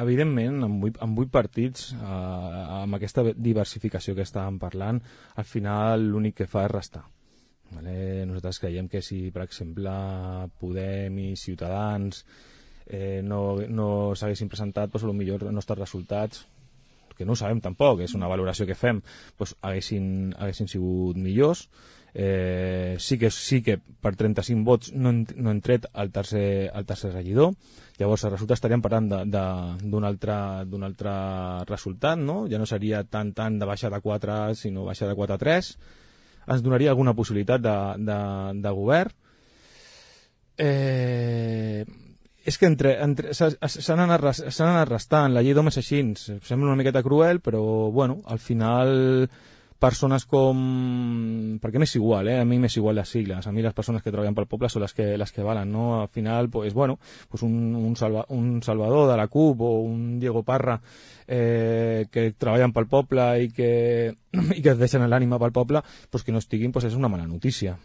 evidentment, amb 8 partits, amb aquesta diversificació que estàvem parlant, al final l'únic que fa és restar. Vale? Nosaltres creiem que si, per exemple, Podem i Ciutadans no s'haguessin presentat, doncs potser els nostres resultats, que no ho sabem tampoc, és una valoració que fem, doncs haguessin sigut millors. Sí que per 35 vots no hem tret el tercer regidor. Llavors els resultats estaríem parlant d'un altre resultat, no? Ja no seria tant de baixar de 4, sinó baixar de 4 a 3. Ens donaria alguna possibilitat de govern. És que s'han anat restant. La llei d'home és així, sembla una miqueta cruel, però bueno, al final persones com... perquè m'és igual, a mi m'és igual les sigles, a mi les persones que treballen pel poble són les que valen, no? Al final, pues, bueno, pues un Salvador de la CUP o un Diego Parra que treballen pel poble i que es deixen l'ànima pel poble, pues que no estiguin, pues és una mala notícia.